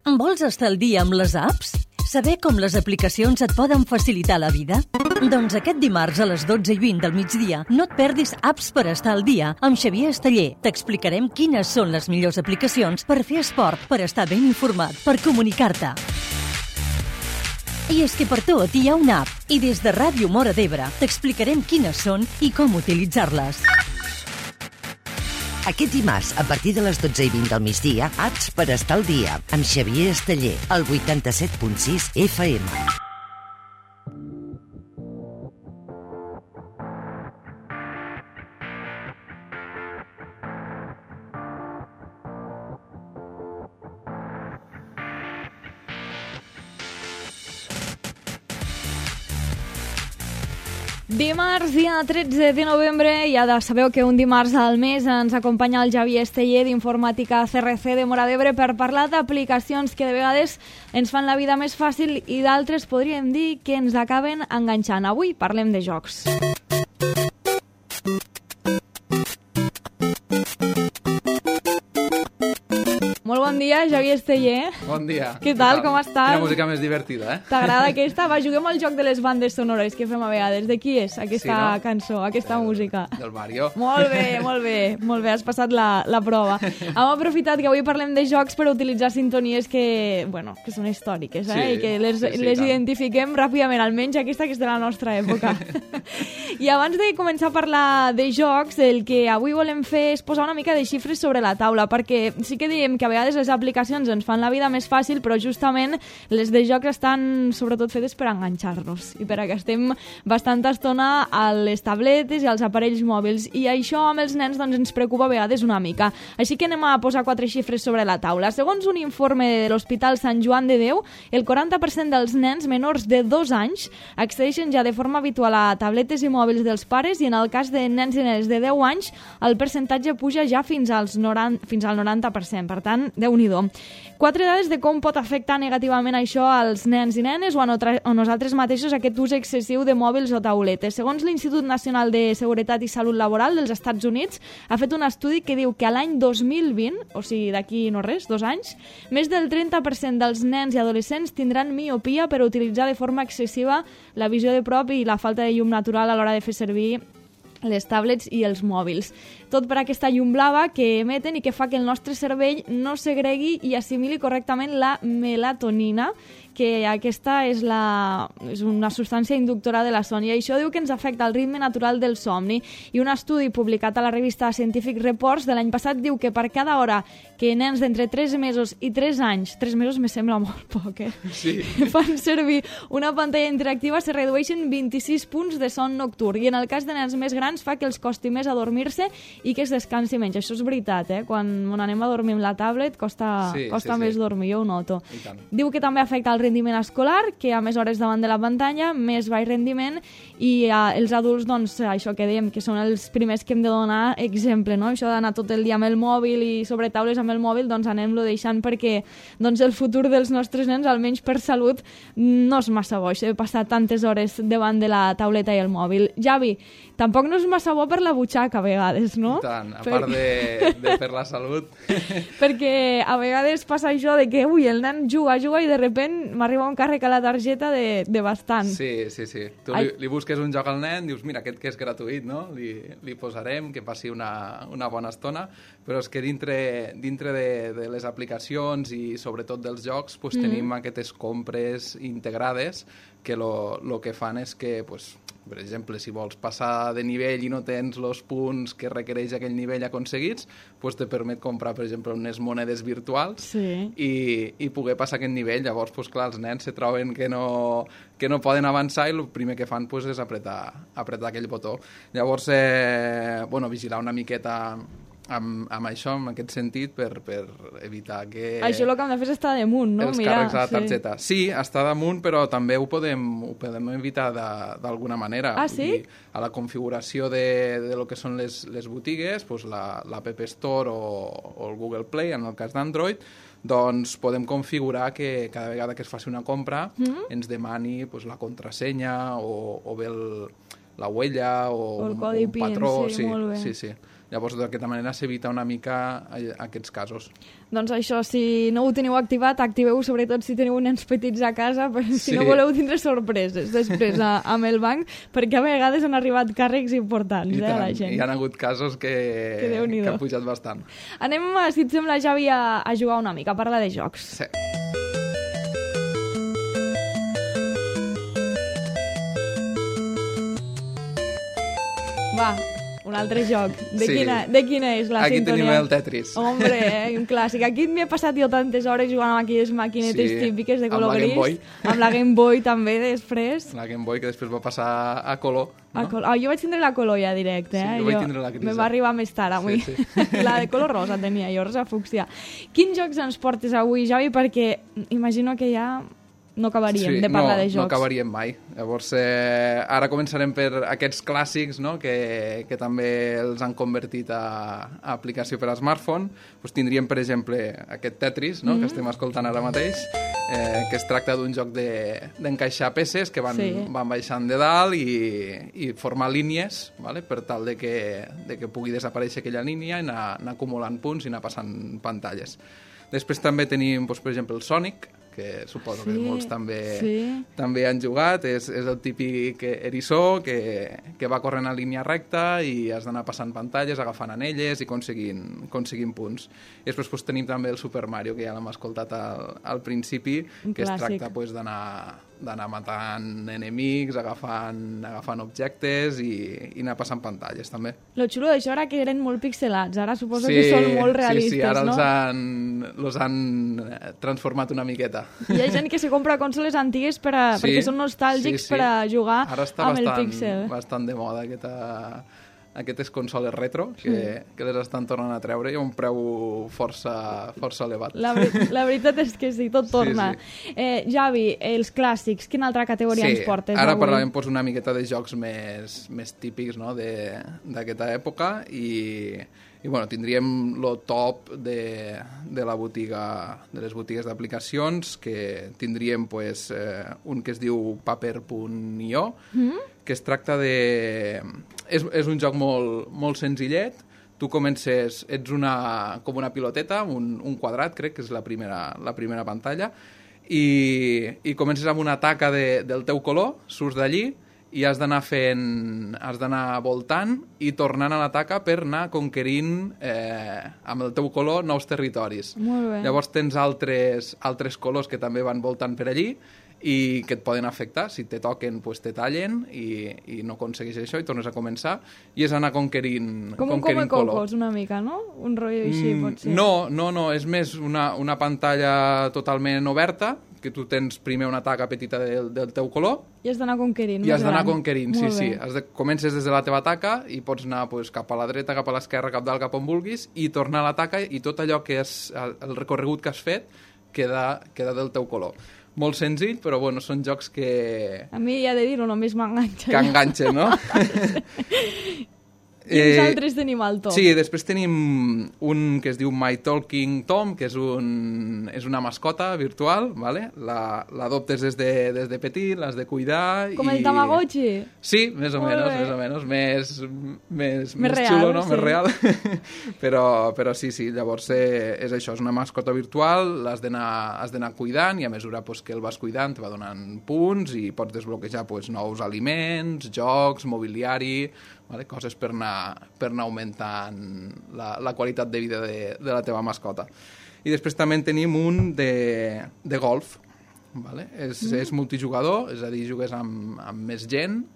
Vols estar al dia amb les apps? Saber com les aplicacions et poden facilitar la vida? Doncs aquest dimarts a les 12:20 del migdia no et perdis Apps per estar al dia amb Xavier Esteller. T'explicarem quines són les millors aplicacions per fer esport, per estar ben informat, per comunicar-te. I és que per tot hi ha una app i des de Ràdio Móra d'Ebre t'explicarem quines són i com utilitzar-les. Aquest dimarts, a partir de les 12:20 del migdia, Apps per estar al dia, amb Xavier Esteller, al 87.6 FM. Dimarts, dia 13 de novembre, ja sabeu que un dimarts al mes ens acompanya el Xavier Esteller d'Informàtica CRC de Móra d'Ebre per parlar d'aplicacions que de vegades ens fan la vida més fàcil i d'altres podríem dir que ens acaben enganxant. Avui parlem de jocs. Molt bon dia, Xavier Esteller. Bon dia. Què tal, com estàs? Quina música més divertida, eh? T'agrada aquesta? Va, juguem al joc de les bandes sonores que fem a vegades. De qui és aquesta cançó, aquesta música? Del Mario. Molt bé, molt bé. Molt bé, has passat la prova. Hem aprofitat que avui parlem de jocs per utilitzar sintonies que són històriques, i que les identifiquem ràpidament, almenys aquesta que és de la nostra època. I abans de començar a parlar de jocs, el que avui volem fer és posar una mica de xifres sobre la taula, perquè sí que diem que a vegades les aplicacions ens fan la vida més fàcil, però justament les de jocs estan sobretot fetes per enganxar-nos i per a que estem bastanta estona a les tabletes i als aparells mòbils, i això amb els nens ens preocupa a vegades una mica. Així que anem a posar 4 xifres sobre la taula. Segons un informe de l'Hospital Sant Joan de Déu, el 40% dels nens menors de 2 anys accedeixen ja de forma habitual a tabletes i mòbils dels pares, i en el cas de nens i nenes de 10 anys el percentatge puja ja fins al 90%. Per tant, Déu-n'hi-do. 4 dades de com pot afectar negativament això als nens i nenes o a nosaltres mateixos aquest ús excessiu de mòbils o tauletes. Segons l'Institut Nacional de Seguretat i Salut Laboral dels Estats Units, ha fet un estudi que diu que a l'any 2020, o sigui d'aquí no res, 2 anys, més del 30% dels nens i adolescents tindran miopia per utilitzar de forma excessiva la visió de prop i la falta de llum natural a l'hora de fer servir les tablets i els mòbils. Tot per aquesta llum blava que emeten i que fa que el nostre cervell no segregui i assimili correctament la melatonina, que aquesta és una substància inductora de la son, i això diu que ens afecta el ritme natural del somni. I un estudi publicat a la revista Scientific Reports de l'any passat diu que per cada hora que nens d'entre 3 mesos i 3 anys, 3 mesos me sembla molt poc, Sí. fan servir una pantalla interactiva, se redueixen 26 punts de son nocturn, i en el cas de nens més grans fa que els costi més adormir-se i que es descansi menys. Això és veritat, quan anem a dormir amb la tablet costa més dormir, jo ho noto. Diu que també afecta el rendiment escolar, que a més hores davant de la pantalla, més baix rendiment, i els adults, doncs, això que dèiem, que són els primers que hem de donar exemple, no? Això d'anar tot el dia amb el mòbil i sobre taules amb el mòbil, doncs anem-lo deixant, perquè doncs, el futur dels nostres nens, almenys per salut, no és massa bo, això de passar tantes hores davant de la tauleta i el mòbil. Javi, tampoc no és massa bo per la butxaca a vegades, no? I tant, a part de per la salut. Perquè a vegades passa això de que el nen juga i de sobte m'arriba un càrrec a la targeta de bastant. Sí. Tu li busques un joc al nen, dius, mira, aquest que és gratuït, no? Li posarem, que passi una bona estona, però és que dintre de les aplicacions i sobretot dels jocs tenim aquestes compres integrades que el que fan és que, per exemple, si vols passar de nivell i no tens els punts que requereix aquell nivell aconseguits, te permet comprar, per exemple, unes monedes virtuals i poder passar aquest nivell. Llavors, clar, els nens se troben que no poden avançar i el primer que fan és apretar aquell botó. Llavors, vigilar una miqueta amb això, en aquest sentit, per evitar que... Això el que hem de fer és estar damunt, no? Els càrrecs a la targeta. Sí, estar damunt, però també ho podem evitar d'alguna manera. Ah, sí? A la configuració de lo que són les botigues, l'App Store o el Google Play, en el cas d'Android, doncs podem configurar que cada vegada que es faci una compra ens demani la contrasenya o bé la huella o el codi un patró. PIN, sí, molt bé. Sí. Llavors, d'aquesta manera s'evita una mica aquests casos. Doncs això, si no ho teniu activat, activeu-ho sobretot si teniu nens petits a casa, si no voleu tindre sorpreses després amb el banc, perquè a vegades han arribat càrrecs importants a la gent. Hi ha hagut casos que han pujat bastant. Anem, si et sembla, Javi, a jugar una mica, a parlar de jocs. Sí. Va, un altre joc. De quina és la Aquí sintonia? tenim el Tetris. Hombre, un clàssic. Aquí m'he passat jo tantes hores jugant amb aquelles maquinetes típiques de color gris. Amb la Game Boy també, després. La Game Boy, que després va passar a color. No? Jo vaig tindre la color ja directe. Sí, jo vaig tindre la grisa. Me va arribar més tard avui. Sí. La de color rosa tenia jo, rosa fúcsia. Quins jocs ens portes avui, Javi? Perquè imagino que ja no acabaríem de parlar de jocs. No acabaríem mai. Llavors, ara començarem per aquests clàssics, no? que també els han convertit a aplicació per a smartphone. Pues tindríem, per exemple, aquest Tetris, no? Que estem escoltant ara mateix, que es tracta d'un joc d'encaixar peces que van baixant de dalt i formar línies, vale? Per tal de que pugui desaparèixer aquella línia i anar acumulant punts i anar passant pantalles. Després també tenim, per exemple, el Sonic, que suposo que molts també han jugat. És el típic eriçó que va corrent en línia recta i has d'anar passant pantalles, agafant anelles i aconseguint punts. I després tenim també el Super Mario, que ja l'hem escoltat al principi, que es tracta d'anar matant enemics, agafant objectes i anar passant pantalles, també. Lo xulo d'això era que eren molt pixelats, ara suposo que són molt realistes, ara no? els han transformat una miqueta. Hi ha gent que se compra consoles antigues perquè són nostàlgics per a jugar amb el píxel. Ara està bastant de moda aquestes consoles retro que les estan tornant a treure i a un preu força elevat. La veritat és que sí, tot torna. Javi, els clàssics, quina altra categoria ens portes avui? Ara parlarem una miqueta de jocs més típics, no? d'aquesta època i bueno, tindríem el top de la botiga, de les botigues d'aplicacions, que tindríem un que es diu Paper.io, que es tracta de... És un joc molt senzillet. Tu comences, ets com una piloteta, un quadrat, crec que és la primera pantalla, i comences amb una taca del teu color, surts d'allí, i has d'anar voltant i tornant a la taca per anar conquerint amb el teu color nous territoris. Molt bé. Llavors tens altres colors que també van voltant per allí i que et poden afectar. Si te toquen, te tallen i no aconsegueixes això i tornes a començar i és anar conquerint color. Com un Come-Cocos, una mica, no? Un rotllo així, potser. No, és més una pantalla totalment oberta, que tu tens primer una taca petita del teu color i has d'anar conquerint. I has d'anar conquerint, sí. Comences des de la teva taca i pots anar cap a la dreta, cap a l'esquerra, cap dalt, cap on vulguis i tornar a la taca i tot allò que és el recorregut que has fet queda del teu color. Molt senzill, però bueno, són jocs que... A mi, ja he de dir-ho, només m'enganxa. Que enganxen, no? Quins altres tenim al top? Sí, després tenim un que es diu My Talking Tom, que és una mascota virtual, ¿vale? L'adoptes des de petit, l'has de cuidar... Com el Tamagotchi? Sí, més o menys. Més real, xulo, no? Sí. Més real. però sí, llavors és això, és una mascota virtual, has d'anar cuidant i a mesura que el vas cuidant te va donant punts i pots desbloquejar nous aliments, jocs, mobiliari... Vale? Coses per anar augmentant la qualitat de vida de la teva mascota. I després també tenim un de golf. Vale? És multijugador, és a dir, jugues amb més gent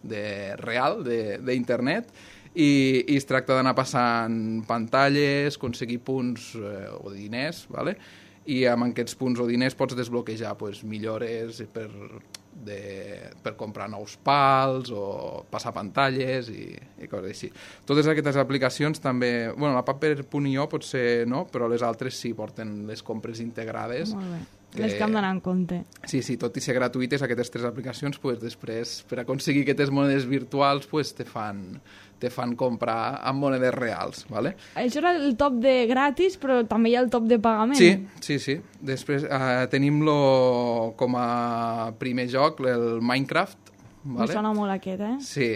real, d'internet, i es tracta d'anar passant pantalles, aconseguir punts o diners, vale? I amb aquests punts o diners pots desbloquejar millores per comprar nous pals o passar pantalles i coses així. Totes aquestes aplicacions també... Bueno, la Paper.io potser no, però les altres sí porten les compres integrades. Molt bé. Les que hem d'anar en compte. Sí, tot i ser gratuïtes, aquestes 3 aplicacions, després, per aconseguir aquestes monedes virtuals, te fan comprar amb monedes reals, ¿vale? Això era el top de gratis, però també hi ha el top de pagament. Sí. Després tenim com a primer joc el Minecraft, Me sona molt aquest, Sí.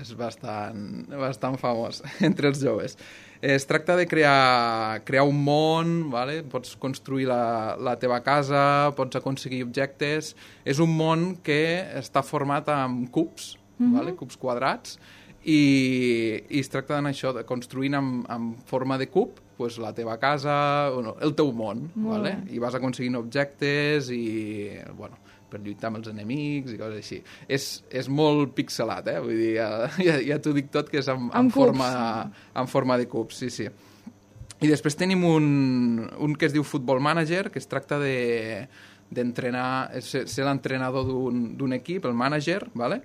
És bastant famós entre els joves. Es tracta de crear un món, vale? Pots construir la teva casa, pots aconseguir objectes. És un món que està format amb cubs, vale? Cubs quadrats, i es tracta d'això, de construint en forma de cub pues, la teva casa, el teu món, vale? I vas aconseguint objectes i, bueno, per lluitar amb els enemics i coses així. És molt pixelat, vull dir, ja t'ho dic tot, que és en forma de cubs, sí. I després tenim un que es diu Football Manager, que es tracta d'entrenar, ser l'entrenador d'un equip, el manager, vale?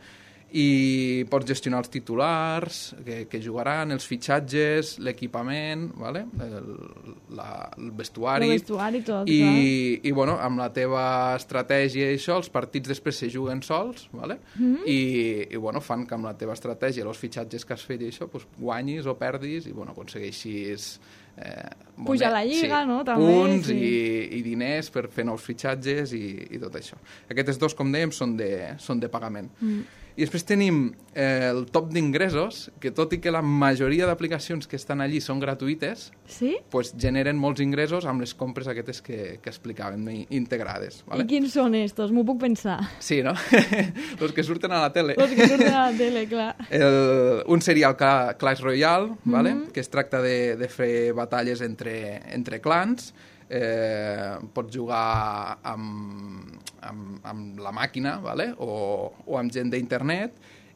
I pots gestionar els titulars que jugaran, els fitxatges, l'equipament, vale? El vestuari. El vestuari tot, I bueno, amb la teva estratègia i això, els partits després se juguen sols, vale? I bueno, fan que amb la teva estratègia, els fitxatges que has fet i això, pues, guanyis o perdis i bueno, aconsegueixis pujar a la lliga, no? També, punts i diners per fer nous fitxatges i tot això. Aquests dos, com dèiem, són de pagament. I després tenim el top d'ingressos, que tot i que la majoria d'aplicacions que estan allí són gratuïtes, pues generen molts ingressos amb les compres aquestes que explicàvem, integrades. Vale? I quins són estos? M'ho puc pensar. Sí, no? Los que surten a la tele. Los que surten a la tele, clar. Un seria el Clash Royale, vale? Que es tracta de fer batalles entre clans. Pots jugar amb la màquina, vale? o amb gent d'internet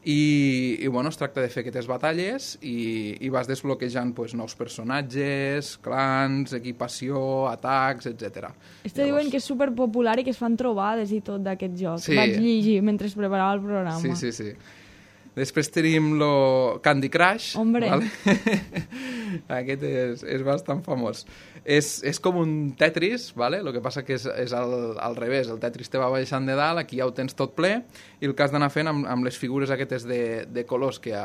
i bueno, es tracta de fer aquestes batalles i vas desbloquejant pues, nous personatges, clans, equipació, atacs, etc. Diuen que és superpopular i que es fan trobades i tot d'aquest joc. Vaig llegir mentre es preparava el programa. Sí. Després tenim Candy Crush. Hombre. Vale? Aquest és bastant famós. És com un Tetris, vale? El que passa que és al revés. El Tetris te va baixant de dalt, aquí ja ho tens tot ple, i el que has d'anar fent amb les figures aquestes de colors que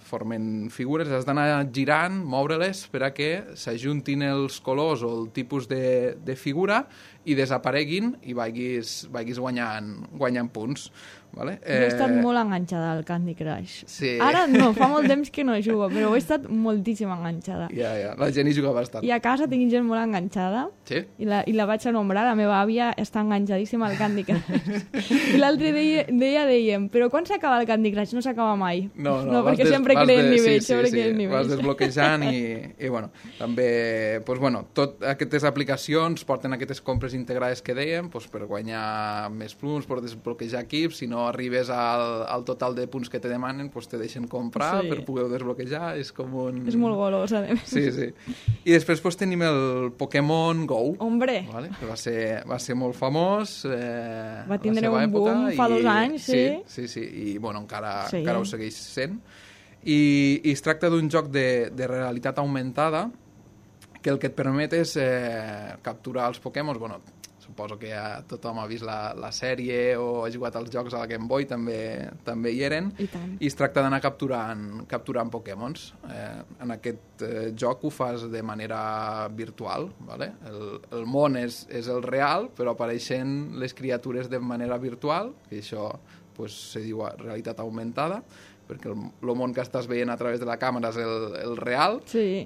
formen figures, has d'anar girant, moure-les per a que s'ajuntin els colors o el tipus de figura i desapareguin i vagis guanyant punts. Vale? Jo he estat molt enganxada al Candy Crush. Sí. Ara no, fa molt temps que no jugo, però he estat moltíssim enganxada. Ja, la gent hi juga bastant. I a casa tinc gent molt enganxada. Sí? I la vaig anomenar, la meva àvia està enganxadíssima al Candy Crush. I l'altre dèiem, però quan s'acaba el Candy Crush? No s'acaba mai. No, perquè sempre creen nivells, nivells. Vas desbloquejant i bueno, també, pues bueno, tot aquestes aplicacions porten aquestes compres integrades que dèiem, pues per guanyar més punts, per desbloquejar equips, si no arribes al total de punts que te demanen, pues te deixen comprar per poder desbloquejar, és com un... És molt golós, a més. Sí. I després pues, tenim el Pokémon Go. Hombre! Vale? Que va ser molt famós. Va tindre un boom fa 2 anys, sí. Sí, i bueno, encara ho segueix sent. I es tracta d'un joc de realitat augmentada que el que et permet és capturar els Pokémon. Bueno, suposo que ja tothom ha vist la sèrie o ha jugat als jocs a la Game Boy, també hi eren. I es tracta d'anar capturant Pokémons. En aquest joc ho fas de manera virtual. Vale? El món és el real, però apareixen les criatures de manera virtual, que això pues, se diu realitat augmentada, perquè el món que estàs veient a través de la càmera és el real,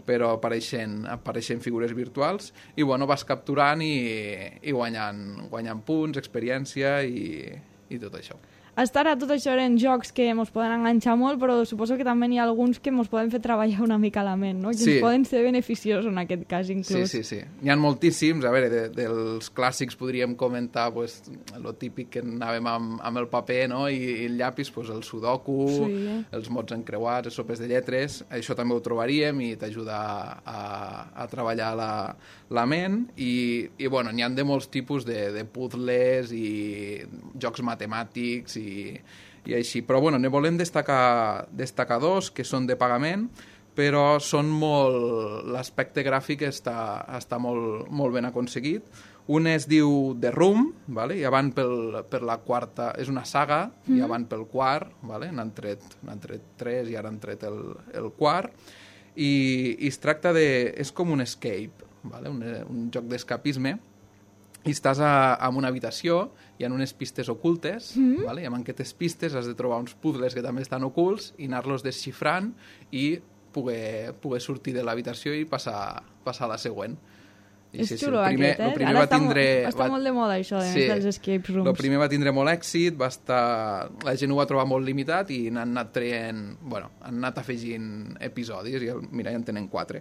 però apareixen figures virtuals i bueno, vas capturant i guanyant punts, experiència i tot això. Ara tot això eren jocs que ens poden enganxar molt, però suposo que també n'hi ha alguns que ens poden fer treballar una mica la ment, no? Que ens poden ser beneficiosos en aquest cas, inclús. Sí. N'hi ha moltíssims. A veure, dels clàssics podríem comentar pues, el típic que anàvem amb el paper, no? I el llapis, pues, el sudoku, els mots encreuats, les sopes de lletres. Això també ho trobaríem i t'ajuda a treballar la ment. I bueno, n'hi ha de molts tipus de puzzles i jocs matemàtics i així. Però bueno, ne volem destacar 2 que són de pagament, però són l'aspecte gràfic està molt ben aconseguit. Un es diu The Room, vale? Ja van per la quarta, és una saga, ja van pel quart, vale? N'han tret 3 i ara han tret el quart, i es tracta és com un escape, vale? Un joc d'escapisme, i estàs en una habitació, hi ha unes pistes ocultes, vale? I amb aquestes pistes has de trobar uns puzzles que també estan ocults i anar-los desxifrant i poder sortir de l'habitació i passar a la següent. És xulo aquest, Ara està molt de moda això dels escape rooms. El primer va tindre molt èxit, la gent ho va trobar molt limitat i n'han anat han anat afegint episodis i mira, ja en tenen 4.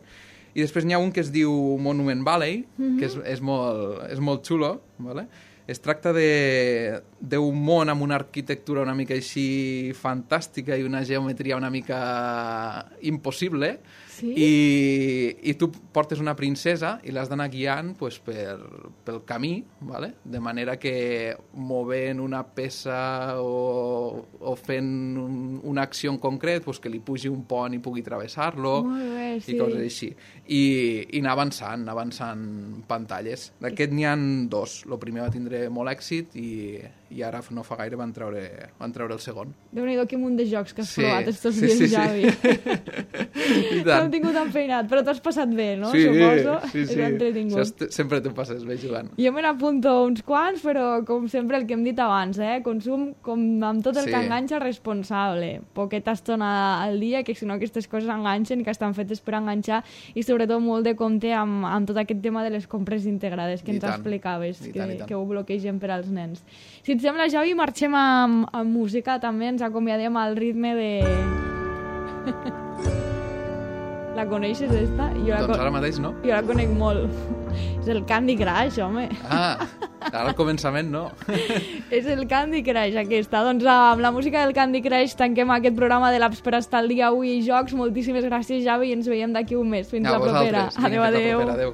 I després n'hi ha un que es diu Monument Valley, que és molt xulo, vale? Es tracta d'un món amb una arquitectura una mica així fantàstica i una geometria una mica impossible, i tu portes una princesa i l'has d'anar guiant pel camí, vale? De manera que movent una peça o fent una acció en concret, que li pugi un pont i pugui travessar-lo, i coses així. I anar avançant pantalles. D'aquest n'hi ha 2. El primer va tindre molt èxit i ara no fa gaire van treure el segon. Déu-n'hi-do, quin munt de jocs que has provat estos dies, Javi. T'hem tingut enfeinat, però t'has passat bé, no? Suposo. Sí. Sempre t'ho passes bé jugant. Jo me n'apunto uns quants, però com sempre el que hem dit abans, consum com amb tot el que enganxa responsable. Poqueta estona al dia, que si no aquestes coses enganxen, que estan fetes per enganxar, i sobretot molt de compte amb tot aquest tema de les compres integrades que ens explicaves, que ho bloquegen per als nens. Si et sembla, Javi, marxem amb música també, ens acomiadem al ritme de... La coneixes, esta? Doncs ara mateix no. Jo la conec molt. És el Candy Crush, home. Ara al començament no. És el Candy Crush, aquesta. Doncs amb la música del Candy Crush tanquem aquest programa de l'Apps per estar al dia avui i jocs. Moltíssimes gràcies, Javi, i ens veiem d'aquí un mes. Fins la propera. Adéu.